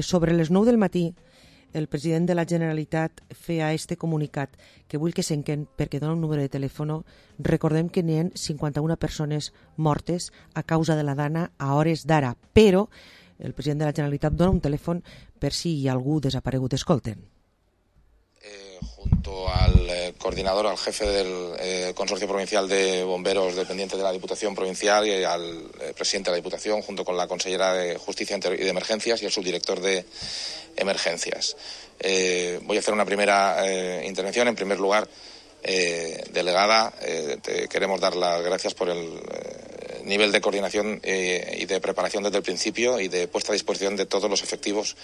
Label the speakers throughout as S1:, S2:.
S1: Sobre les 9 del matí, el president de la Generalitat feia este comunicat que vull que s'enquen perquè dona un número de telèfon. Recordem que n'hi ha 51 persones mortes a causa de la dana a hores d'ara, però el president de la Generalitat dona un telèfon per si hi ha algú desaparegut. Escolten.
S2: Junto al coordinador, al jefe del Consorcio Provincial de Bomberos dependiente de la Diputación Provincial y al presidente de la Diputación, junto con la consellera de Justicia y de Emergencias y el subdirector de Emergencias. Voy a hacer una primera intervención. En primer lugar, delegada, te queremos dar las gracias por el nivel de coordinación y de preparación desde el principio y de puesta a disposición de todos los efectivos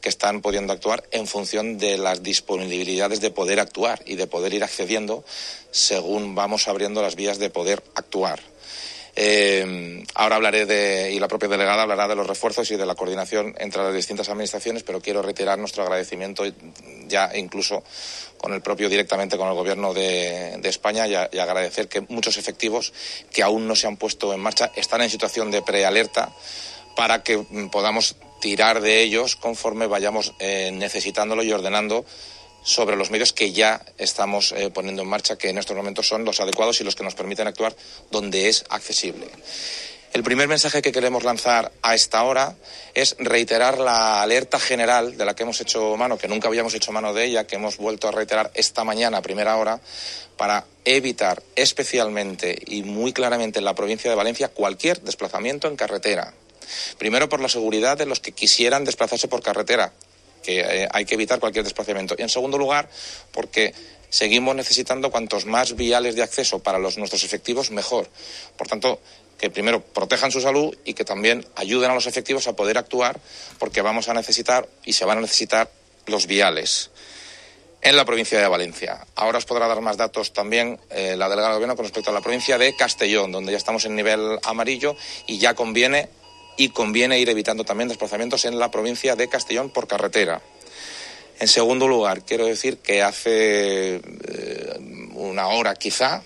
S2: que están pudiendo actuar en función de las disponibilidades de poder actuar y de poder ir accediendo según vamos abriendo las vías de poder actuar. Ahora hablaré y la propia delegada hablará de los refuerzos y de la coordinación entre las distintas administraciones, pero quiero reiterar nuestro agradecimiento ya incluso directamente con el Gobierno de España y agradecer que muchos efectivos que aún no se han puesto en marcha están en situación de prealerta para que podamos tirar de ellos conforme vayamos necesitándolo y ordenando sobre los medios que ya estamos poniendo en marcha, que en estos momentos son los adecuados y los que nos permiten actuar donde es accesible. El primer mensaje que queremos lanzar a esta hora es reiterar la alerta general de la que hemos hecho mano, que nunca habíamos hecho mano de ella, que hemos vuelto a reiterar esta mañana a primera hora, para evitar especialmente y muy claramente en la provincia de Valencia cualquier desplazamiento en carretera. Primero, por la seguridad de los que quisieran desplazarse por carretera, que hay que evitar cualquier desplazamiento. Y en segundo lugar, porque seguimos necesitando cuantos más viales de acceso para nuestros efectivos, mejor. Por tanto, que primero protejan su salud y que también ayuden a los efectivos a poder actuar, porque vamos a necesitar y se van a necesitar los viales en la provincia de Valencia. Ahora os podrá dar más datos también la delegada de Gobierno con respecto a la provincia de Castellón, donde ya estamos en nivel amarillo y ya conviene ir evitando también desplazamientos en la provincia de Castellón por carretera. En segundo lugar, quiero decir que hace una hora quizá,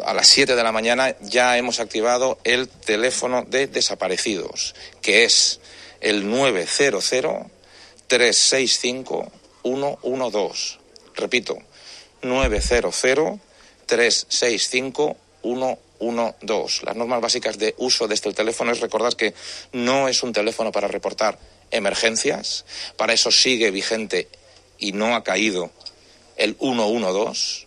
S2: a las 7 de la mañana, ya hemos activado el teléfono de desaparecidos, que es el 900-365-112. Repito, 900-365-112. Las normas básicas de uso de este teléfono es recordar que no es un teléfono para reportar emergencias. Para eso sigue vigente y no ha caído el 112.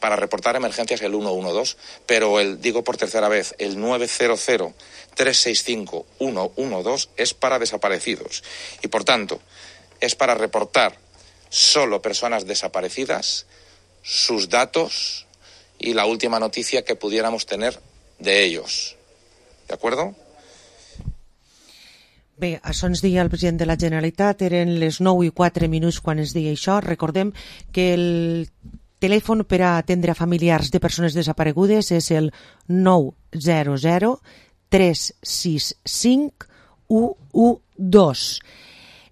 S2: Para reportar emergencias el 112, pero digo por tercera vez, el 900-365-112 es para desaparecidos. Y por tanto, es para reportar solo personas desaparecidas, sus datos y la última noticia que pudiéramos tener de ellos. ¿De acuerdo?
S1: Bé, això ens deia el president de la Generalitat, eren les 9:04 quan ens deia això. Recordem que el telèfon per a atendre a familiars de persones desaparegudes és el 900-365-112.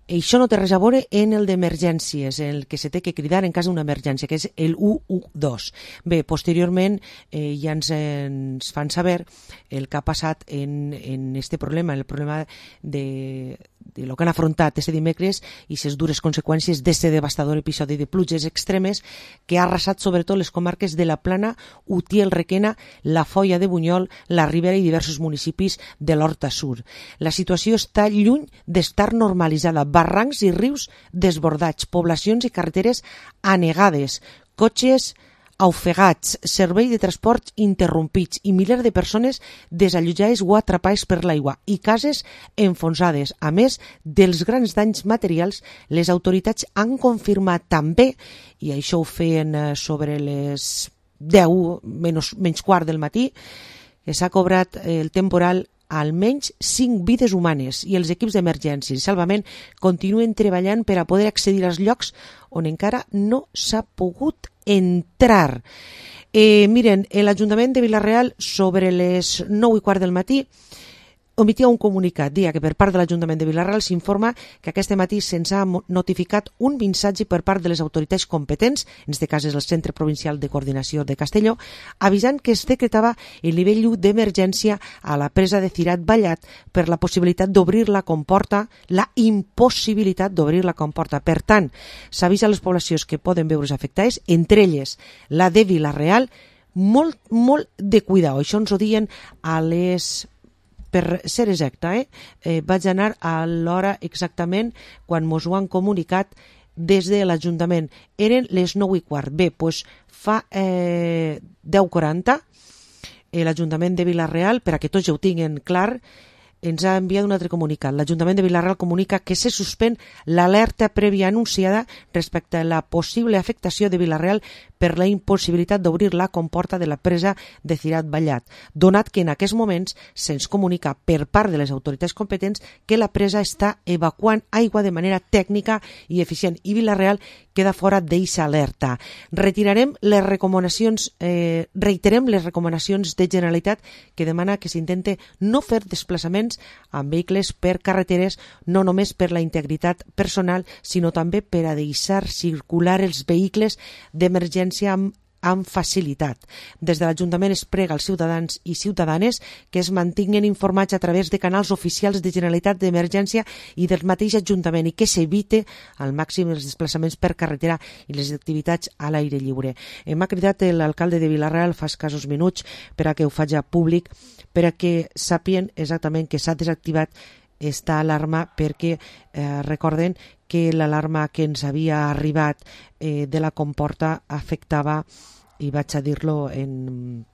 S1: Això no té res a veure en el d'emergències, el que se té que cridar en cas d'una emergència, que és el 112. Bé, posteriorment ja ens fan saber el que ha passat en este problema, el problema de lo que han afrontat este dimecres i les dures conseqüències d'este devastador episodi de pluges extremes que ha arrasat sobretot les comarques de la Plana, Utiel, Requena, la Foia de Bunyol, la Ribera i diversos municipis de l'Horta Sur. La situació està lluny d'estar normalitzada. Barrancs i rius desbordats, poblacions i carreteres anegades, cotxes ofegats, servei de transport interrompits i milers de persones desallotjades o atrapades per l'aigua i cases enfonsades. A més dels grans danys materials, les autoritats han confirmat també, i això ho feien sobre les 10 menys quart del matí, que s'ha cobrat el temporal almenys 5 vides humanes i els equips d'emergència i salvament continuen treballant per a poder accedir als llocs on encara no s'ha pogut entrar. Miren, l'Ajuntament de Vila-real sobre les 9:15 del matí omitia un comunicat, dia que per part de l'Ajuntament de Vila-real s'informa que aquest matí se'ns ha notificat un missatge per part de les autoritats competents, en aquest cas és el Centre Provincial de Coordinació de Castelló, avisant que es decretava el nivell 1 d'emergència a la presa de Cirat Vallat per la possibilitat d'obrir la comporta, la impossibilitat d'obrir la comporta. Per tant, s'avisa a les poblacions que poden veure's afectades, entre elles la de Vila-real, molt de cuidar. Això ens ho diuen a les... Per ser exacta, vaig anar a l'hora exactament quan mos ho han comunicat des de l'Ajuntament. Eren les 9:15. Bé, doncs fa 10:40 l'Ajuntament de Vila-real, per a que tots ja ho tinguin clar, ens ha enviat un altre comunicat. L'Ajuntament de Vila-real comunica que se suspèn l'alerta prèvia anunciada respecte a la possible afectació de Vila-real per la impossibilitat d'obrir la comporta de la presa de Cirat Vallat, donat que en aquests moments se'ns comunica per part de les autoritats competents que la presa està evacuant aigua de manera tècnica i eficient i Vila-real queda fora d'eixa alerta. Reiterem les recomanacions de Generalitat que demana que s'intente no fer desplaçaments amb vehicles per carreteres, no només per la integritat personal, sinó també per a deixar circular els vehicles d'emergència amb facilitat. Des de l'Ajuntament es prega als ciutadans i ciutadanes que es mantinguen informats a través de canals oficials de Generalitat d'Emergència i del mateix Ajuntament i que s'evite al màxim els desplaçaments per carretera i les activitats a l'aire lliure. M'ha cridat l'alcalde de Vila-real fa escassos minuts per a que ho faci públic, per a que sàpien exactament que s'ha desactivat esta alarma perquè recorden que l'alarma que ens havia arribat de la comporta afectava, i vaig a dir-lo en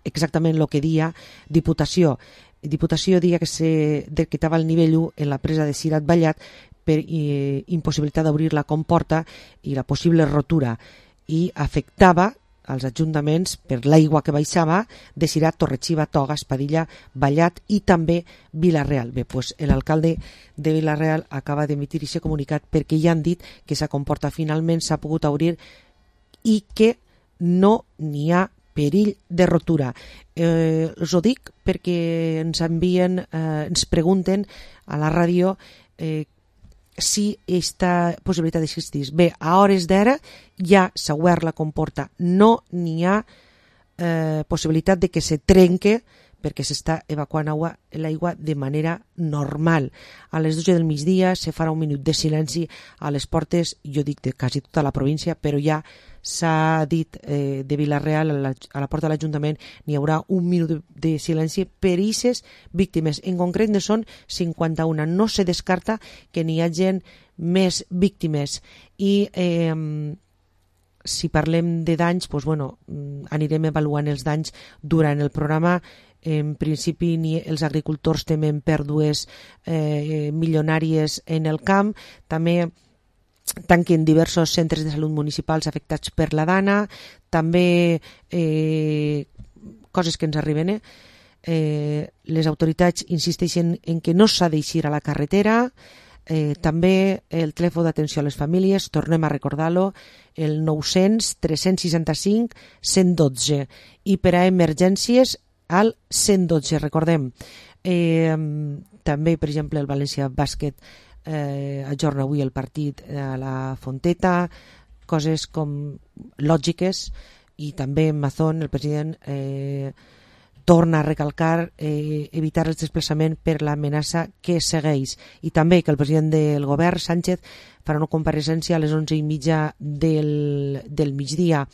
S1: exactament el que dia Diputació. Diputació dia que se decretava el nivell 1 en la presa de Cirat Vallat per impossibilitat d'obrir la comporta i la possible rotura, i afectava als ajuntaments per l'aigua que baixava de Cirat, Torre-xiva, Toga, Espadilla, Vallat i també Vila-real. Bé, doncs l'alcalde de Vila-real acaba d'emitir aquest comunicat perquè ja han dit que la comporta finalment s'ha pogut obrir i que no n'hi ha perill de rotura. Us ho dic perquè ens envien, ens pregunten a la ràdio si aquesta possibilitat existís. Bé, a hores d'ara ja s'ha obert la comporta, no n'hi ha possibilitat de que se trenque perquè s'està evacuant l'aigua de manera normal. A les 12 del migdia se farà un minut de silenci a les portes, jo dic de quasi tota la província, però ja s'ha dit de Vila-real a la porta de l'Ajuntament n'hi haurà un minut de silenci per aquestes víctimes. En concret ne són 51. No se descarta que n'hi hagi més víctimes i si parlem de danys, doncs, bueno, anirem avaluant els danys durant el programa. En principi els agricultors temen pèrdues milionàries en el camp, també tanquen diversos centres de salut municipals afectats per la dana, també coses que ens arriben. Les autoritats insisteixen en que no s'ha d'eixir a la carretera, també el telèfon d'atenció a les famílies, tornem a recordar-lo, el 900 365 112 i per a emergències al 112, recordem. També, per exemple, el València Bàsquet ajorna avui el partit a la Fonteta, coses com lògiques, i també Mazón, el president, torna a recalcar evitar el desplaçament per l'amenaça que segueix, i també que el president del govern, Sánchez, farà una compareixença a les 11:30 del migdia.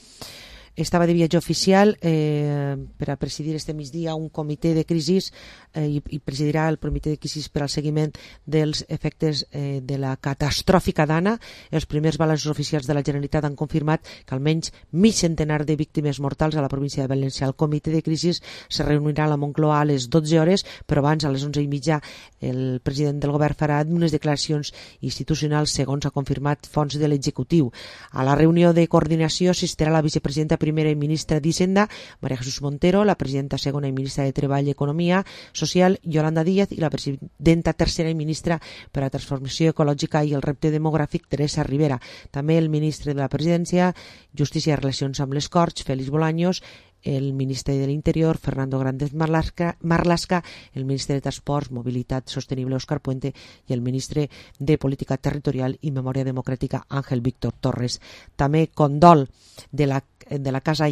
S1: Estava de viatge oficial per a presidir este migdia un comitè de crisis i presidirà el comitè de crisis per al seguiment dels efectes de la catastròfica dana. Els primers balanços oficials de la Generalitat han confirmat que almenys mig centenar de víctimes mortals a la província de València. El comitè de crisis se reunirà a la Moncloa a les 12 hores, però abans, a les 11:30, el president del govern farà unes declaracions institucionals, segons ha confirmat fonts de l'executiu. A la reunió de coordinació assistirà la vicepresidenta primera i ministra d'Hisenda, María Jesús Montero, la presidenta segona i ministra de Treball i Economia Social, Yolanda Díaz, i la presidenta tercera i ministra per a la Transformació Ecològica i el Repte Demogràfic, Teresa Rivera. També el ministre de la Presidència, Justícia i Relacions amb les Corts, Félix Bolaños, el ministre de l'Interior, Fernando Grande Marlaska, el ministre de Transports, Mobilitat Sostenible, Óscar Puente, i el ministre de Política Territorial i Memòria Democràtica, Ángel Víctor Torres. També condol de la Casa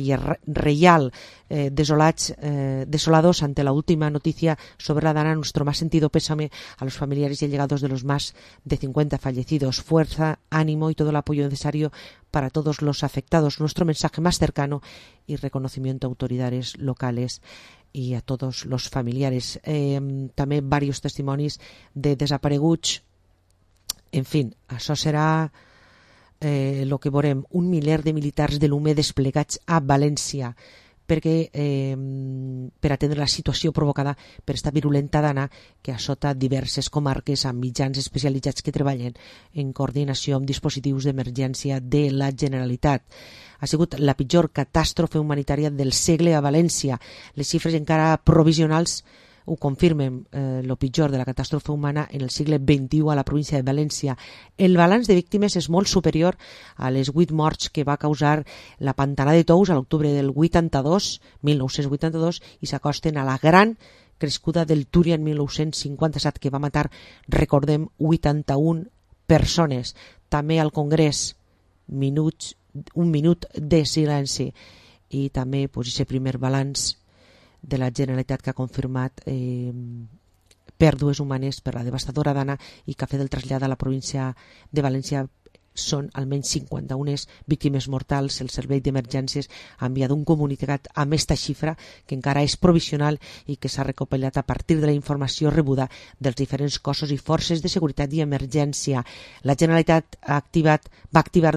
S1: Reial, desolados ante la última noticia sobre la Dana. Nuestro más sentido pésame a los familiares y allegados de los más de 50 fallecidos. Fuerza, ánimo y todo el apoyo necesario para todos los afectados. Nuestro mensaje más cercano y reconocimiento a autoridades locales y a todos los familiares. També varios testimonis de desapareguts. En fin, això serà el que veurem, 1 miler de militars de l'UME desplegats a València per atendre la situació provocada per esta virulenta dana que assota diverses comarques amb mitjans especialitzats que treballen en coordinació amb dispositius d'emergència de la Generalitat. Ha sigut la pitjor catàstrofe humanitària del segle a València. Les xifres encara provisionals ho confirmen, el pitjor de la catàstrofe humana en el segle XXI a la província de València. El balanç de víctimes és molt superior a les 8 morts que va causar la Pantana de Tous a l'octubre del 1982 i s'acosten a la gran crescuda del Túria en 1957 que va matar, recordem, 81 persones. També al Congrés, un minut de silenci i també aquest primer balanç de la Generalitat que ha confirmat pèrdues humanes per la devastadora dana i que ha fet el trasllat a la província de València. Són almenys 51 víctimes mortals. El Servei d'Emergències ha enviat un comunicat amb aquesta xifra que encara és provisional i que s'ha recopilat a partir de la informació rebuda dels diferents cossos i forces de seguretat i emergència. La Generalitat va activar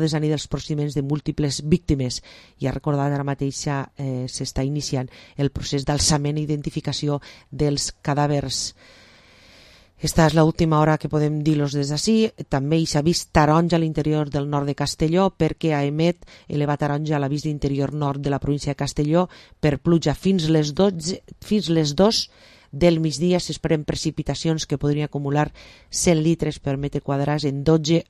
S1: des d'anir els procediments de múltiples víctimes i ha recordat ara mateix s'està iniciant el procés d'alçament i identificació dels cadàvers. Esta és l'última hora que podem dir-los des d'ací. També hi s'ha vist taronja a l'interior del nord de Castelló perquè a Emet eleva taronja a l'avís d'interior nord de la província de Castelló per pluja fins les 2 del migdia. S'esperen precipitacions que podrien acumular 100 litres per metre quadrat en 12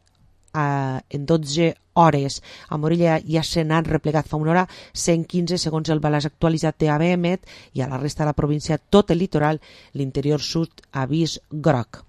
S1: hores. A Morella ja se n'han replegat fa una hora 115 segons el balanç actualitzat d'ABEMET i a la resta de la província tot el litoral, l'interior sud, avís groc.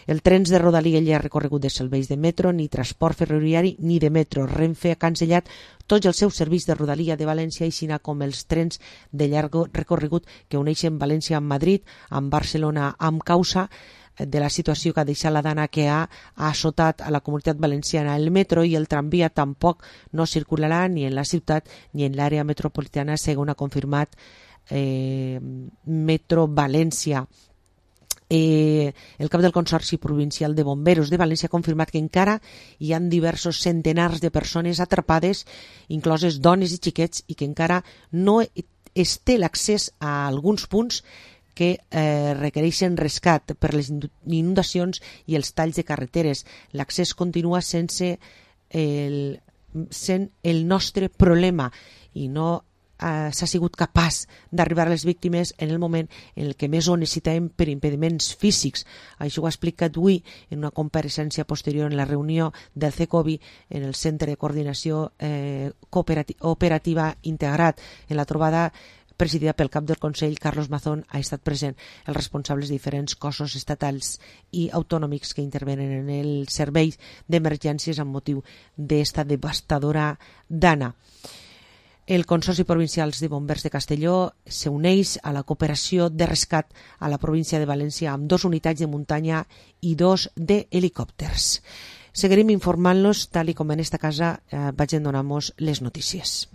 S1: El trens de Rodalia ja ha recorregut de serveis de metro, ni transport ferroviari ni de metro. Renfe ha cancel·lat tots els seus serveis de Rodalia de València, així com els trens de llarg recorregut que uneixen València amb Madrid, amb Barcelona, amb causa de la situació que ha deixat la dana que ha assotat a la comunitat valenciana. El metro i el tramvia tampoc no circularà ni en la ciutat ni en l'àrea metropolitana, segons ha confirmat Metro València. El cap del Consorci Provincial de Bomberos de València ha confirmat que encara hi ha diversos centenars de persones atrapades, incloses dones i xiquets, i que encara no es té l'accés a alguns punts que requereixen rescat per les inundacions i els talls de carreteres. L'accés continua sent el nostre problema i no s'ha sigut capaç d'arribar a les víctimes en el moment en el que més ho necessitem per impediments físics. Això ho ha explicat avui en una compareixença posterior en la reunió del CECOVI en el Centre de Coordinació Operativa Integrat. En la trobada presidida pel cap del Consell, Carlos Mazón, ha estat present els responsables de diferents cossos estatals i autonòmics que intervenen en el servei d'emergències amb motiu d'esta devastadora dana. El Consorci Provincial de Bombers de Castelló s'uneix a la cooperació de rescat a la província de València amb 2 unitats de muntanya i 2 d'helicòpters. Seguirem informant-los tal com en esta casa vaig donar-nos les notícies.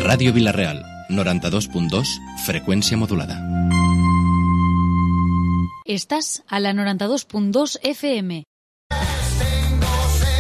S3: Ràdio Vila-real, 92.2, freqüència modulada.
S4: Estàs a la 92.2 FM.